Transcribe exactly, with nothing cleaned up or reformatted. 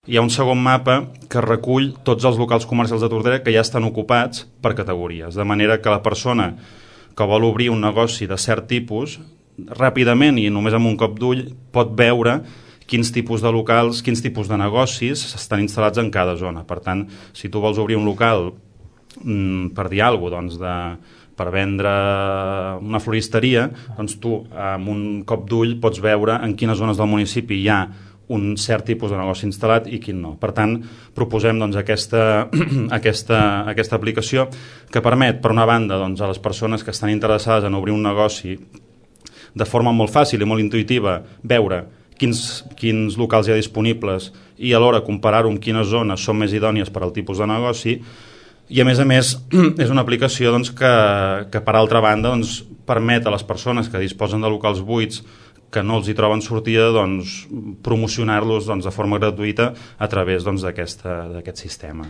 Hi ha un segon mapa que recull tots els locals comercials de Tordera que ja estan ocupats per categories, de manera que la persona que vol obrir un negoci de cert tipus, ràpidament i només amb un cop d'ull pot veure quins tipus de locals, quins tipus de negocis estan instal·lats en cada zona. Per tant, si tu vols obrir un local, per dir alguna cosa, doncs de, per vendre una floristeria, doncs tu amb un cop d'ull pots veure en quines zones del municipi hi ha un cert tipus de negoci instal·lat i quin no. Per tant, proposem doncs, aquesta, aquesta, aquesta aplicació que permet, per una banda, doncs, a les persones que estan interessades en obrir un negoci de forma molt fàcil i molt intuïtiva, veure quins, quins locals hi ha disponibles i alhora comparar-ho amb quines zones són més idònies per al tipus de negoci. I a més a més és una aplicació doncs, que, que per altra banda doncs, permet a les persones que disposen de locals buits que no els hi troben sortida doncs, promocionar-los doncs, de forma gratuïta a través doncs, d'aquest sistema.